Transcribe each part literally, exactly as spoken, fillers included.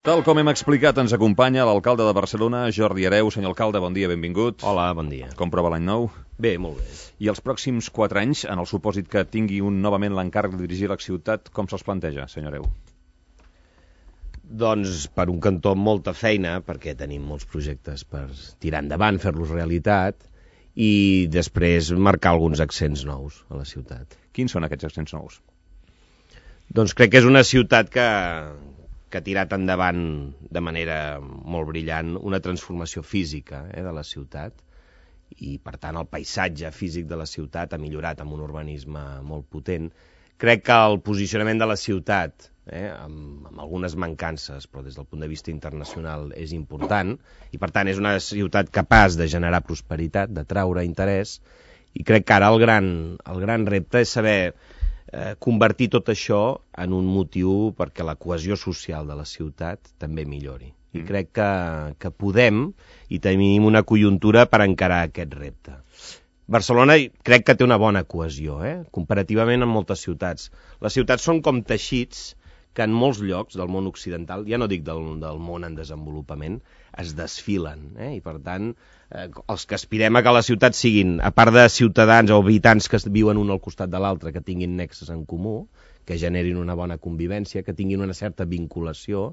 Tal com hem explicat, ens acompanya l'alcalde de Barcelona, Jordi Hereu. Senyor alcalde, bon dia, benvingut. Hola, bon dia. Com prova l'any nou? Bé, molt bé. I els pròxims quatre anys, en el supòsit que tingui un novament l'encàrrec de dirigir la ciutat, com se'ls planteja, senyor Hereu? Doncs per un cantó amb molta feina, perquè tenim molts projectes per tirar endavant, fer-los realitat, i després marcar alguns accents nous a la ciutat. Quins són aquests accents nous? Doncs crec que és una ciutat que... que ha tirat endavant de manera molt brillant una transformació física eh, de la ciutat, i per tant el paisatge físic de la ciutat ha millorat amb un urbanisme molt potent. Crec que el posicionament de la ciutat, eh, amb, amb algunes mancances, però des del punt de vista internacional és important, i per tant és una ciutat capaç de generar prosperitat, d'atraure interès, i crec que ara el gran, el gran repte és saber Eh, convertir tot això en un motiu perquè la cohesió social de la ciutat també millori. I crec que, que podem i tenim una conjuntura per encarar aquest repte. Barcelona crec que té una bona cohesió, eh? comparativament amb moltes ciutats. Les ciutats són com teixits que en molts llocs del món occidental, ja no dic del, del món en desenvolupament, es desfilen. Eh? I per tant, eh, els que aspirem a que les ciutats siguin, a part de ciutadans o habitants que viuen un al costat de l'altre, que tinguin nexes en comú, que generin una bona convivència, que tinguin una certa vinculació,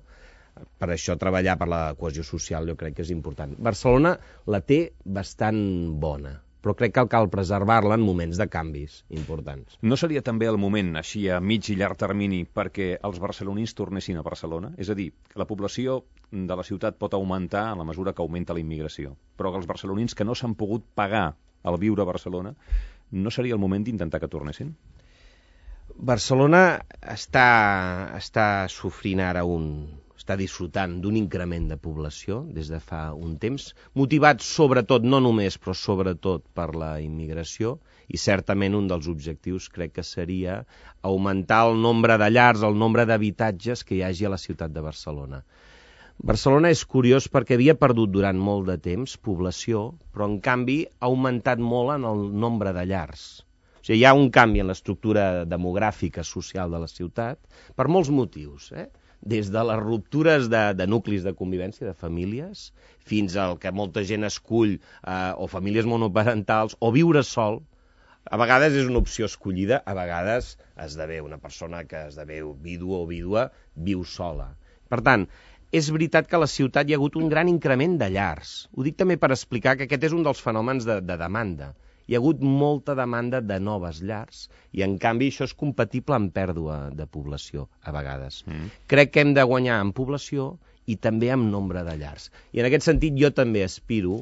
per això treballar per la cohesió social jo crec que és important. Barcelona la té bastant bona, però crec que cal preservar-la en moments de canvis importants. No seria també el moment, així a mig i llarg termini, perquè els barcelonins tornessin a Barcelona? És a dir, que la població de la ciutat pot augmentar a la mesura que augmenta la immigració, però que els barcelonins que no s'han pogut pagar el viure a Barcelona, no seria el moment d'intentar que tornessin? Barcelona està, està sofrint ara un... està disfrutant d'un increment de població des de fa un temps, motivat sobretot, no només, però sobretot per la immigració, i certament un dels objectius crec que seria augmentar el nombre de llars, el nombre d'habitatges que hi hagi a la ciutat de Barcelona. Barcelona és curiós perquè havia perdut durant molt de temps població, però en canvi ha augmentat molt en el nombre de llars. O sigui, hi ha un canvi en l'estructura demogràfica social de la ciutat per molts motius, eh? Des de les ruptures de, de nuclis de convivència, de famílies, fins al que molta gent escull, eh, o famílies monoparentals, o viure sol. A vegades és una opció escollida, a vegades esdevé una persona que esdevé vídua o vídua, viu sola. Per tant, és veritat que a la ciutat hi ha hagut un gran increment de llars. Ho dic també per explicar que aquest és un dels fenòmens de, de demanda. Hi ha hagut molta demanda de noves llars i, en canvi, això és compatible amb pèrdua de població, a vegades. Mm. Crec que hem de guanyar en població i també en nombre de llars. I, en aquest sentit, jo també aspiro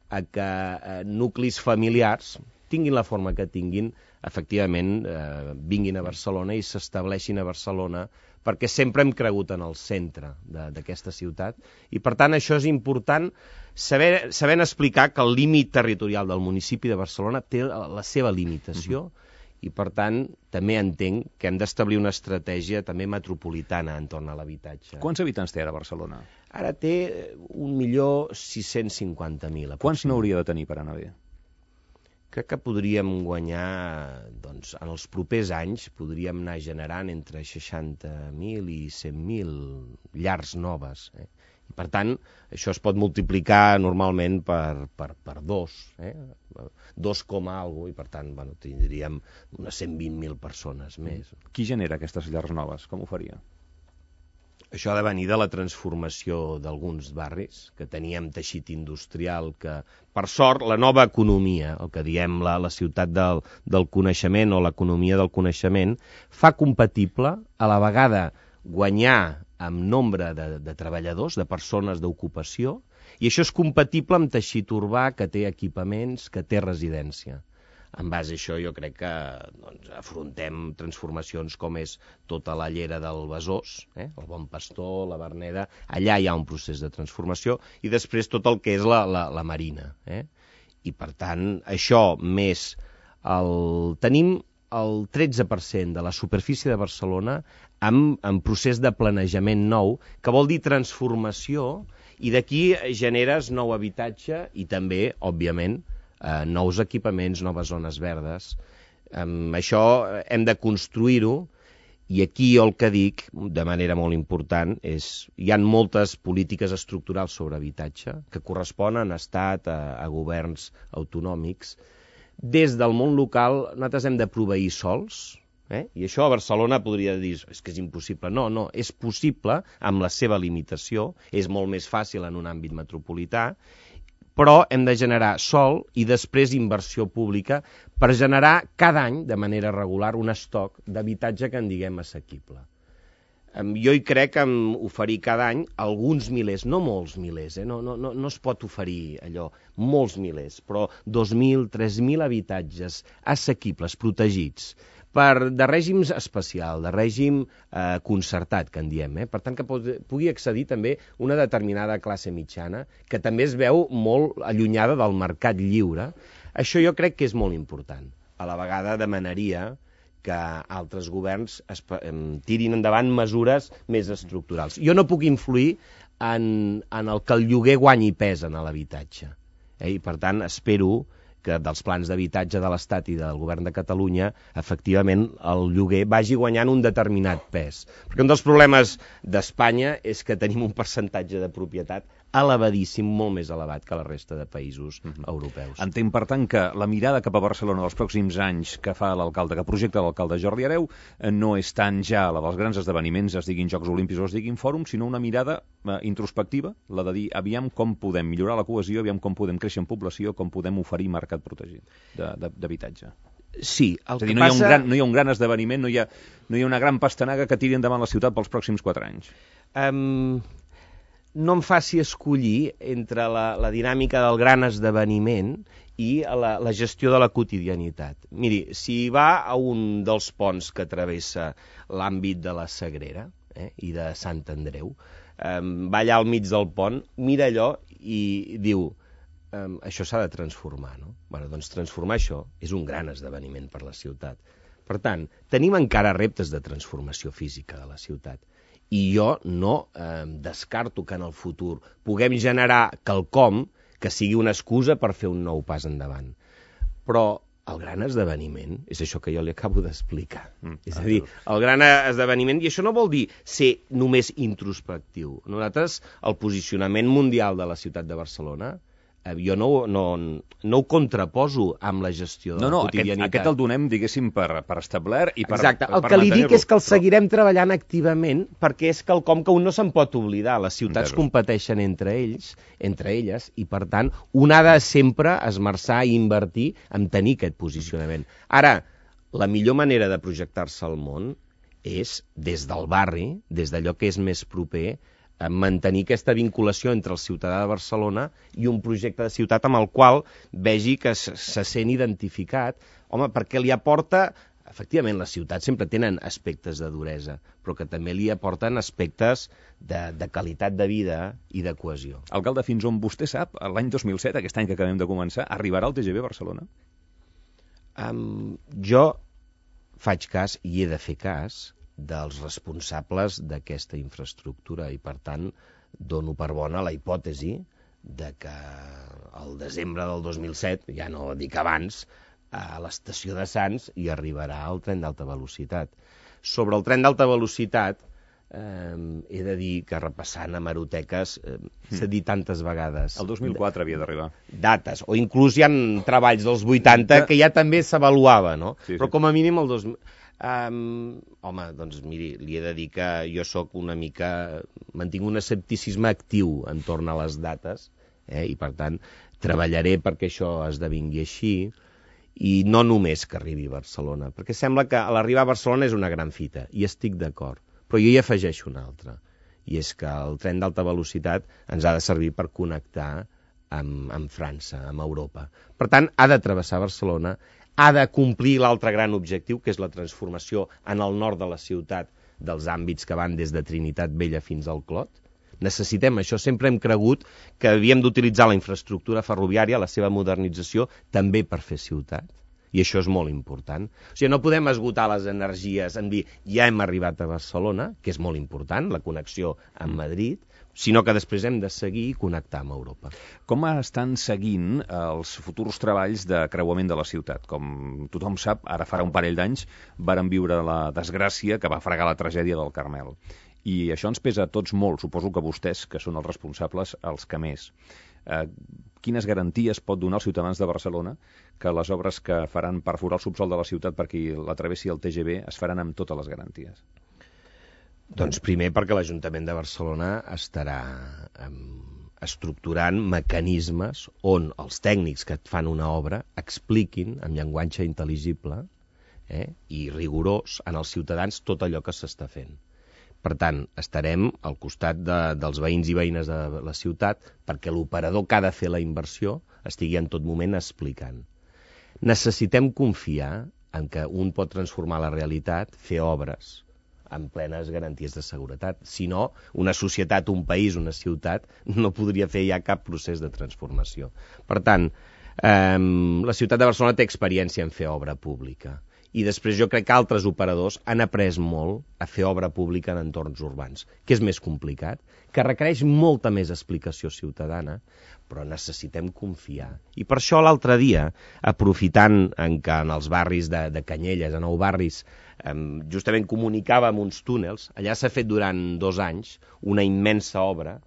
a que eh, nuclis familiars, tinguin la forma que tinguin, efectivament eh, vinguin a Barcelona i s'estableixin a Barcelona, perquè sempre hem cregut en el centre d'aquesta ciutat, i per tant això és important, saber, sabent explicar que el límit territorial del municipi de Barcelona té la seva limitació, uh-huh. i per tant també entenc que hem d'establir una estratègia també metropolitana entorn a l'habitatge. Quants habitants té ara Barcelona? Ara té un milió sis-cents cinquanta mil. Quants n'hauria de tenir per anar bé? Crec que podríem guanyar, doncs, en els propers anys, podríem anar generant entre seixanta mil i cent mil llars noves. Eh? I, per tant, això es pot multiplicar normalment per, per, per dos, eh? dos coma alguna cosa, i per tant bueno, tindríem unes cent vint mil persones més. Qui genera aquestes llars noves? Com ho faria? Això ha de venir de la transformació d'alguns barris, que teníem teixit industrial, que, per sort, la nova economia, el que diem la, la ciutat del, del coneixement o l'economia del coneixement, fa compatible a la vegada guanyar amb nombre de, de treballadors, de persones d'ocupació, i això és compatible amb teixit urbà que té equipaments, que té residència. En base a això jo crec que doncs, afrontem transformacions com és tota la llera del Besòs, eh? el Bon Pastor, la Verneda, allà hi ha un procés de transformació, i després tot el que és la, la, la Marina. Eh? I per tant, això més el... tenim el tretze per cent de la superfície de Barcelona amb, amb procés de planejament nou, que vol dir transformació, i d'aquí generes nou habitatge i també, òbviament, Eh, nous equipaments, noves zones verdes. Eh, això hem de construir-ho I aquí el que dic, de manera molt important, és hi ha moltes polítiques estructurals sobre habitatge que corresponen a Estat, a, a governs autonòmics. Des del món local nosaltres hem de proveir sols, eh? I això a Barcelona podria dir és que és impossible. No, no, és possible amb la seva limitació, és molt més fàcil en un àmbit metropolità, però hem de generar sòl i després inversió pública per generar cada any, de manera regular, un estoc d'habitatge que en diguem assequible. Jo hi crec en oferir cada any alguns milers, no molts milers, eh? no, no, no, no es pot oferir allò, molts milers, però dos mil, tres mil habitatges assequibles, protegits, per, de règims especial, de règim eh, concertat, que en diem. Eh? Per tant, que pugui accedir també una determinada classe mitjana, que també es veu molt allunyada del mercat lliure. Això jo crec que és molt important. A la vegada demanaria que altres governs es, em, tirin endavant mesures més estructurals. Jo no puc influir en, en el que el lloguer guanyi pes en l'habitatge. Eh? I per tant, espero que dels plans d'habitatge de l'Estat i del govern de Catalunya, efectivament, el lloguer vagi guanyant un determinat pes. Perquè un dels problemes d'Espanya és que tenim un percentatge de propietat elevadíssim, molt més elevat que la resta de països uh-huh. europeus. Entenc, per tant, que la mirada cap a Barcelona dels pròxims anys que fa l'alcalde, que projecta l'alcalde Jordi Hereu, no és tant ja la dels grans esdeveniments, es diguin Jocs Olímpics o es diguin Fòrums, sinó una mirada eh, introspectiva, la de dir, aviam com podem millorar la cohesió, aviam com podem créixer en població, com podem oferir mercat protegit d'habitatge. Sí, el és a dir, que no, passa... hi ha un gran, no hi ha un gran esdeveniment, no hi ha, no hi ha una gran pastanaga que tiri endavant la ciutat pels pròxims quatre anys. Um... no em faci escollir entre la, la dinàmica del gran esdeveniment i la, la gestió de la quotidianitat. Miri, si va a un dels ponts que travessa l'àmbit de la Sagrera eh, i de Sant Andreu, eh, va allà al mig del pont, mira allò i diu eh, això s'ha de transformar, no? Bueno, doncs transformar això és un gran esdeveniment per la ciutat. Per tant, tenim encara reptes de transformació física de la ciutat. I jo no eh, descarto que en el futur puguem generar quelcom que sigui una excusa per fer un nou pas endavant. Però el gran esdeveniment és això que jo li acabo d'explicar. Mm, és a dir, el gran esdeveniment, i això no vol dir ser només introspectiu. Nosaltres, el posicionament mundial de la ciutat de Barcelona, eh, jo no, no, no ho contraposo amb la gestió de no, la no, quotidianitat. Aquest, aquest el donem, diguéssim, per, per establert i per Exacte. El per que li dic és que el però... seguirem treballant activament perquè és quelcom que un no se'n pot oblidar. Les ciutats Entero. competeixen entre ells, entre elles, i per tant un ha de sempre esmerçar i invertir en tenir aquest posicionament. Ara, la millor manera de projectar-se al món és des del barri, des d'allò que és més proper, mantenir aquesta vinculació entre el ciutadà de Barcelona i un projecte de ciutat amb el qual vegi que se, se sent identificat, home, perquè li aporta, efectivament, les ciutats sempre tenen aspectes de duresa, però que també li aporten aspectes de, de qualitat de vida i de cohesió. Alcalde, fins on vostè sap, l'any dos mil set, aquest any que acabem de començar, arribarà el T G V a Barcelona? Um, jo faig cas i he de fer cas dels responsables d'aquesta infraestructura i, per tant, dono per bona la hipòtesi de que al desembre del dos mil set, ja no dic abans, a l'estació de Sants hi arribarà el tren d'alta velocitat. Sobre el tren d'alta velocitat, eh, he de dir que repassant hemeroteques eh, s'ha dit tantes vegades... El dos mil quatre havia d'arribar. Dates, o inclús hi ha treballs dels vuitanta que ja també s'avaluava, no? Sí, sí. Però com a mínim el dos mil... Um, home, doncs miri, li he de dir que jo sóc una mica... mantinc un escepticisme actiu entorn a les dates, eh, i per tant treballaré perquè això esdevingui així, i no només que arribi a Barcelona, perquè sembla que l'arribar a Barcelona és una gran fita, i estic d'acord, però jo hi afegeixo una altra, i és que el tren d'alta velocitat ens ha de servir per connectar amb, amb França, amb Europa. Per tant, ha de travessar Barcelona, ha de complir l'altre gran objectiu, que és la transformació en el nord de la ciutat dels àmbits que van des de Trinitat Vella fins al Clot. Necessitem això. Sempre hem cregut que havíem d'utilitzar la infraestructura ferroviària, la seva modernització, també per fer ciutat. I això és molt important. O sigui, no podem esgotar les energies en dir ja hem arribat a Barcelona, que és molt important, la connexió amb Madrid, sinó que després hem de seguir i connectar amb Europa. Com estan seguint els futurs treballs de creuament de la ciutat? Com tothom sap, ara farà un parell d'anys varen viure la desgràcia que va fregar la tragèdia del Carmel. I això ens pesa a tots molt, suposo que vostès, que són els responsables, els que més. Eh, quines garanties pot donar als ciutadans de Barcelona que les obres que faran perforar el subsol de la ciutat perquè la travessi el T G V es faran amb totes les garanties? Doncs primer perquè l'Ajuntament de Barcelona estarà um, estructurant mecanismes on els tècnics que et fan una obra expliquin en llenguatge intel·ligible eh, i rigorós en els ciutadans tot allò que s'està fent. Per tant, estarem al costat de, dels veïns i veïnes de la ciutat perquè l'operador que ha de fer la inversió estigui en tot moment explicant. Necessitem confiar en que un pot transformar la realitat, fer obres amb plenes garanties de seguretat. Si no, una societat, un país, una ciutat no podria fer ja cap procés de transformació. Per tant, eh, la ciutat de Barcelona té experiència en fer obra pública. I després jo crec que altres operadors han après molt a fer obra pública en entorns urbans, que és més complicat, que requereix molta més explicació ciutadana, però necessitem confiar. I per això l'altre dia, aprofitant en que en els barris de, de Canyelles, a Nou Barris, eh, justament comunicàvem uns túnels, allà s'ha fet durant dos anys una immensa obra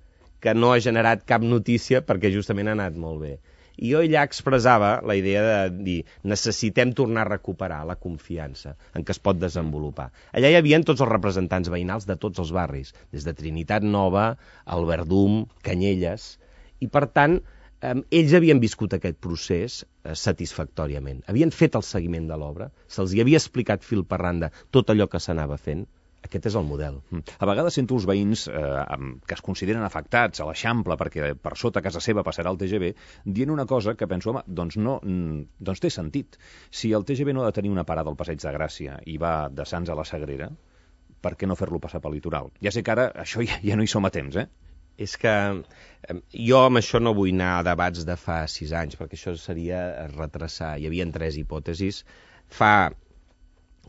que no ha generat cap notícia perquè justament ha anat molt bé. I jo allà expressava la idea de dir necessitem tornar a recuperar la confiança en què es pot desenvolupar. Allà hi havia tots els representants veïnals de tots els barris, des de Trinitat Nova, el Verdum, Canyelles, i per tant eh, ells havien viscut aquest procés eh, satisfactòriament. Havien fet el seguiment de l'obra, se'ls hi havia explicat fil per randa tot allò que s'anava fent. Aquest és el model. A vegades sento els veïns eh, que es consideren afectats a l'Eixample perquè per sota casa seva passarà el T G V dient una cosa que penso, home, doncs no, doncs té sentit. Si el T G V no ha de tenir una parada al Passeig de Gràcia i va de Sants a la Sagrera, per què no fer-lo passar pel litoral? Ja sé que ara això ja, ja no hi som a temps, eh? És que eh, jo amb això no vull anar a debats de fa sis anys, perquè això seria retrasar. Hi havia tres hipòtesis. Fa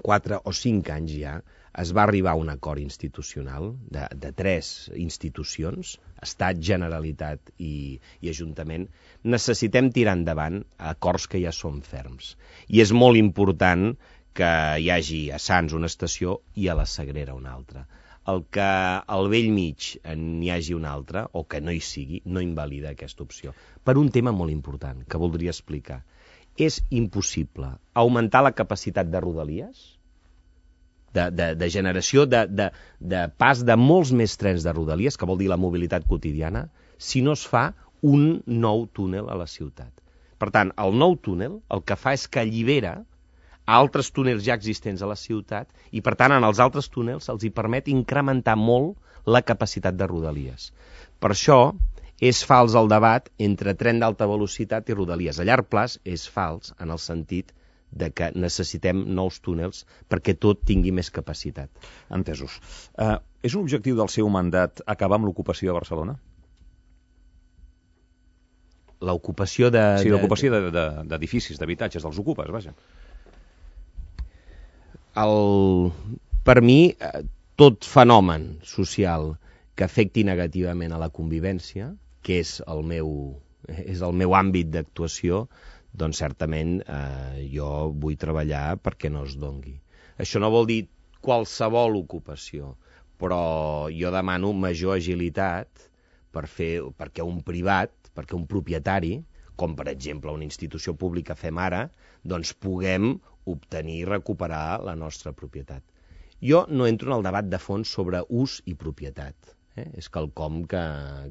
quatre o cinc anys ja es va arribar a un acord institucional de, de tres institucions, Estat, Generalitat i, i Ajuntament. Necessitem tirar endavant acords que ja són ferms. I és molt important que hi hagi a Sants una estació i a la Sagrera una altra. El que al vell mig n'hi hagi una altra, o que no hi sigui, no invalida aquesta opció. Per un tema molt important, que voldria explicar. És impossible augmentar la capacitat de rodalies, de, de, de generació, de, de, de pas de molts més trens de rodalies, que vol dir la mobilitat quotidiana, si no es fa un nou túnel a la ciutat. Per tant, el nou túnel el que fa és que allibera altres túnels ja existents a la ciutat i, per tant, en els altres túnels els hi permet incrementar molt la capacitat de rodalies. Per això és fals el debat entre tren d'alta velocitat i rodalies. A llarg plaç és fals en el sentit de que necessitem nous túnels perquè tot tingui més capacitat. Entesos. Uh, és un objectiu del seu mandat acabar amb l'ocupació a Barcelona? L'ocupació de... Sí, l'ocupació d'edificis, de, de, d'habitatges, dels ocupes, vaja. El, per mi, tot fenomen social que afecti negativament a la convivència, que és el meu, és el meu àmbit d'actuació, doncs certament eh, jo vull treballar perquè no es dongui. Això no vol dir qualsevol ocupació, però jo demano major agilitat per fer, perquè un privat, perquè un propietari, com per exemple una institució pública fem ara, doncs puguem obtenir i recuperar la nostra propietat. Jo no entro en el debat de fons sobre ús i propietat. Eh? És quelcom que,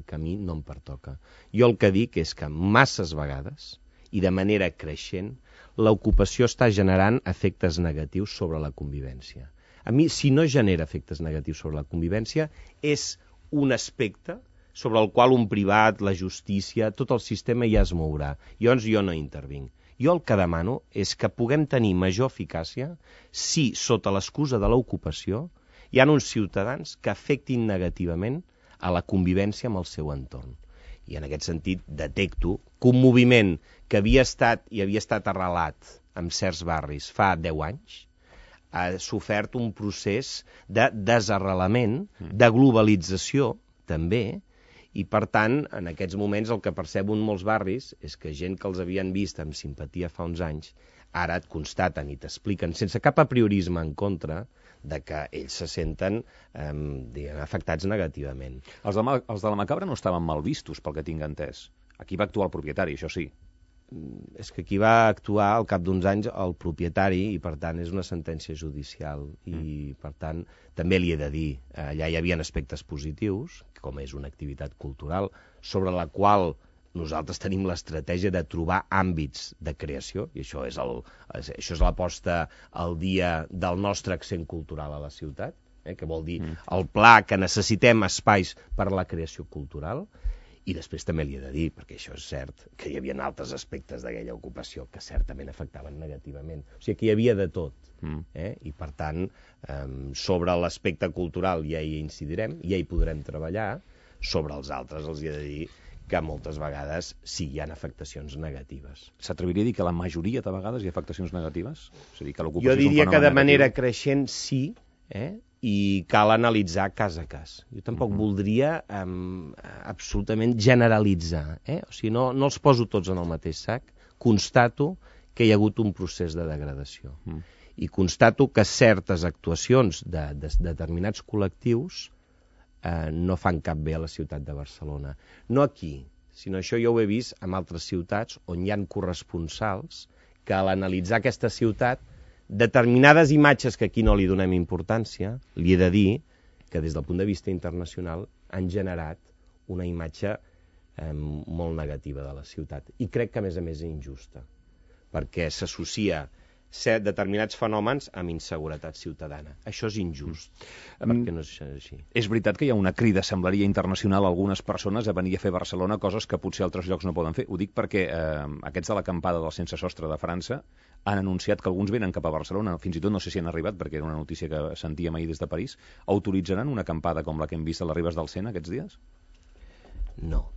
que a mi no em pertoca. Jo el que dic és que masses vegades i de manera creixent, l'ocupació està generant efectes negatius sobre la convivència. A mi, si no genera efectes negatius sobre la convivència, és un aspecte sobre el qual un privat, la justícia, tot el sistema ja es mourà. Llavors jo no intervinc. Jo el que demano és que puguem tenir major eficàcia si, sota l'excusa de l'ocupació, hi ha uns ciutadans que afectin negativament a la convivència amb el seu entorn. I en aquest sentit detecto que un moviment que havia estat i havia estat arrelat en certs barris fa deu anys ha sofert un procés de desarrelament, de globalització també, I, per tant, en aquests moments el que perceben molts barris és que gent que els havien vist amb simpatia fa uns anys, ara et constaten i t'expliquen, sense cap apriorisme en contra, de que ells se senten eh, diguem, afectats negativament. Els de, la, els de la Macabra no estaven mal vistos, pel que tinc entès. Aquí va actuar el propietari, això sí. És que aquí va actuar al cap d'uns anys el propietari i, per tant, és una sentència judicial. I, mm. per tant, també li he de dir, allà hi havia aspectes positius, com és una activitat cultural, sobre la qual nosaltres tenim l'estratègia de trobar àmbits de creació, i això és, el, això és l'aposta al dia del nostre accent cultural a la ciutat, eh, que vol dir mm. el pla que necessitem espais per a la creació cultural. I després també li he de dir, perquè això és cert, que hi havia altres aspectes d'aquella ocupació que certament afectaven negativament. O sigui que hi havia de tot. Mm. Eh? I, per tant, eh, sobre l'aspecte cultural ja hi incidirem, ja hi podrem treballar. Sobre els altres els he de dir que moltes vegades sí hi ha afectacions negatives. S'atreviria a dir que la majoria de vegades hi ha afectacions negatives? És a dir, que l'ocupació jo diria és un que de negatiu. manera creixent sí, eh? I cal analitzar cas a cas. Jo tampoc uh-huh. voldria um, absolutament generalitzar. Eh? O sigui, no, no els poso tots en el mateix sac. Constato que hi ha hagut un procés de degradació. Uh-huh. I constato que certes actuacions de, de, de determinats col·lectius eh, no fan cap bé a la ciutat de Barcelona. No aquí, sinó això jo ho he vist en altres ciutats on hi ha corresponsals que a l'analitzar aquesta ciutat determinades imatges que aquí no li donem importància, li he de dir que des del punt de vista internacional han generat una imatge eh, molt negativa de la ciutat. I crec que, a més a més, és injusta, perquè s'associa ser determinats fenòmens amb inseguretat ciutadana. Això és injust, mm. perquè no és així. És veritat que hi ha una crida, semblaria internacional, a algunes persones a venir a fer a Barcelona coses que potser altres llocs no poden fer. Ho dic perquè eh, aquests de l'acampada del Sense Sostre de França han anunciat que alguns venen cap a Barcelona, fins i tot no sé si han arribat, perquè era una notícia que sentíem ahir des de París. Autoritzaran una acampada com la que hem vist a les Ribes del Sena aquests dies? No.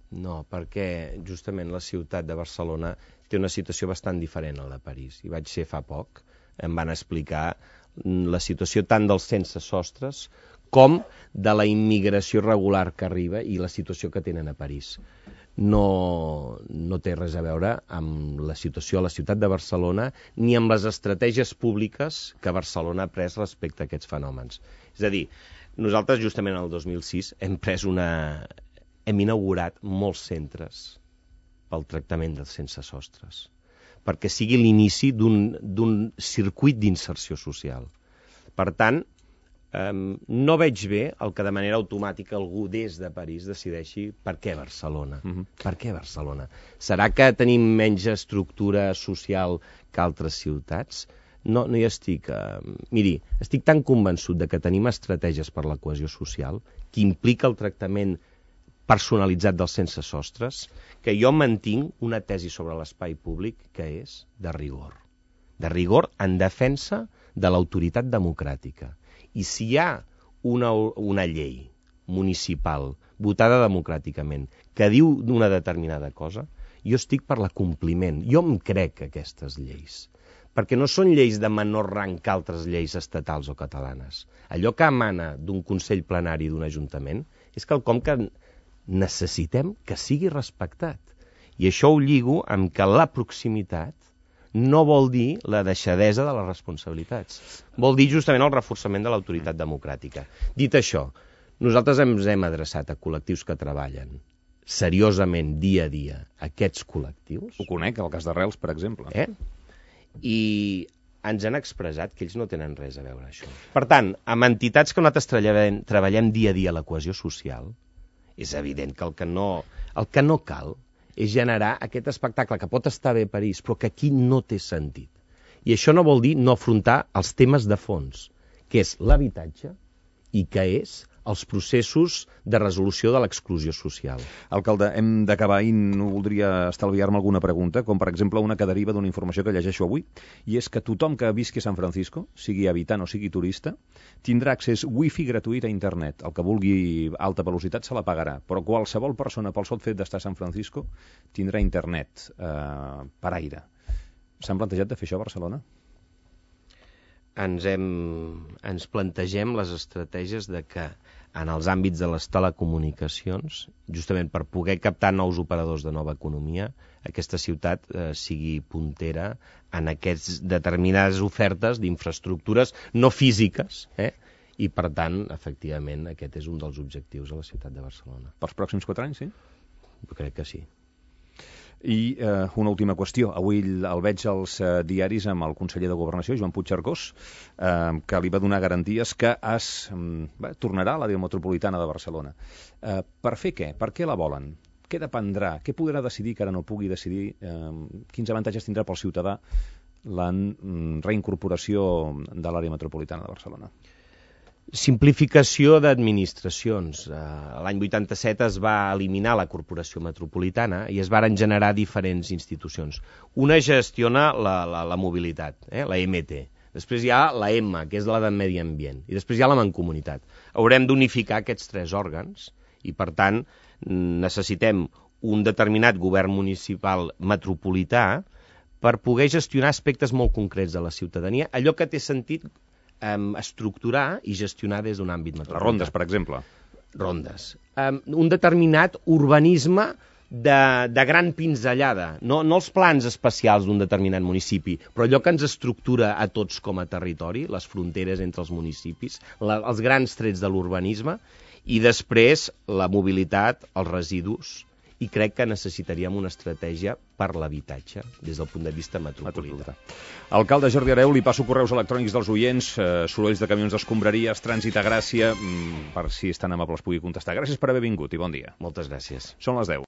No, perquè justament la ciutat de Barcelona té una situació bastant diferent a la de París. Hi vaig ser fa poc, em van explicar la situació tant dels sense sostres com de la immigració regular que arriba i la situació que tenen a París. No, no té res a veure amb la situació a la ciutat de Barcelona ni amb les estratègies públiques que Barcelona ha pres respecte a aquests fenòmens. És a dir, nosaltres justament el dos mil sis hem pres una... hem inaugurat molts centres pel tractament dels sense sostres, perquè sigui l'inici d'un circuit d'inserció social. Per tant, eh, no veig bé el que de manera automàtica algú des de París decideixi per què Barcelona. Uh-huh. Per què Barcelona? Serà que tenim menys estructura social que altres ciutats? No, no hi estic... Eh, miri, estic tan convençut de que tenim estratègies per la cohesió social que implica el tractament personalitzat dels sense sostres, que jo mantinc una tesi sobre l'espai públic que és de rigor. De rigor en defensa de l'autoritat democràtica. I si hi ha una, una llei municipal votada democràticament que diu una determinada cosa, jo estic per l'acompliment. Jo em crec aquestes lleis, perquè no són lleis de menor rang que altres lleis estatals o catalanes. Allò que emana d'un consell plenari d'un ajuntament és quelcom que necessitem que sigui respectat. I això ho lligo amb que la proximitat no vol dir la deixadesa de les responsabilitats. Vol dir justament el reforçament de l'autoritat democràtica. Dit això, nosaltres ens hem adreçat a col·lectius que treballen seriosament dia a dia aquests col·lectius. Ho conec, el cas d'Arrels, per exemple. Eh? I ens han expressat que ells no tenen res a veure això. Per tant, amb entitats que nosaltres treballem, treballem dia a dia la cohesió social, és evident que el que no, el que no cal és generar aquest espectacle que pot estar bé a París, però que aquí no té sentit. I això no vol dir no afrontar els temes de fons, que és l'habitatge i que és els processos de resolució de l'exclusió social. Alcalde, hem d'acabar i no voldria estalviar-me alguna pregunta, com per exemple una que deriva d'una informació que llegeixo avui, i és que tothom que visqui a San Francisco, sigui habitant o sigui turista, tindrà accés wifi gratuït a internet. El que vulgui alta velocitat se la pagarà, però qualsevol persona pel sol fet d'estar a San Francisco tindrà internet eh, per aire. S'han plantejat de fer això a Barcelona? Ens, hem, ens plantegem les estratègies de que en els àmbits de les telecomunicacions, justament per poder captar nous operadors de nova economia, aquesta ciutat eh, sigui puntera en aquestes determinades ofertes d'infraestructures no físiques, eh? I, per tant, efectivament, aquest és un dels objectius a la ciutat de Barcelona. Pels pròxims quatre anys, sí? Jo crec que sí. I eh, una última qüestió. Avui el veig als eh, diaris amb el conseller de Governació, Joan Puigcercós, eh, que li va donar garanties que es eh, tornarà a l'àrea metropolitana de Barcelona. Eh, per fer què? Per què la volen? Què dependrà? Què podrà decidir que ara no pugui decidir? Eh, quins avantatges tindrà pel ciutadà la reincorporació de l'àrea metropolitana de Barcelona? Simplificació d'administracions. L'any vuitanta-set es va eliminar la Corporació Metropolitana i es varen generar diferents institucions. Una gestiona la, la, la mobilitat, eh? la M T. Després hi ha la M, que és la de Medi Ambient. I després hi ha la Mancomunitat. Haurem d'unificar aquests tres òrgans i, per tant, necessitem un determinat govern municipal metropolità per poder gestionar aspectes molt concrets de la ciutadania, allò que té sentit Um, estructurar i gestionar des d'un àmbit metropolità. Les rondes, per exemple. Rondes. Um, un determinat urbanisme de, de gran pinzellada. No, no els plans especials d'un determinat municipi, però allò que ens estructura a tots com a territori, les fronteres entre els municipis, la, els grans trets de l'urbanisme, i després la mobilitat, els residus, i crec que necessitaríem una estratègia per l'habitatge des del punt de vista metropolità. Alcalde Jordi Hereu, li passo correus electrònics dels oients, eh, sorolls de camions d'escombraries, trànsit a Gràcia, mm, per si és tan amables pugui contestar. Gràcies per haver vingut i bon dia. Moltes gràcies. Són les deu.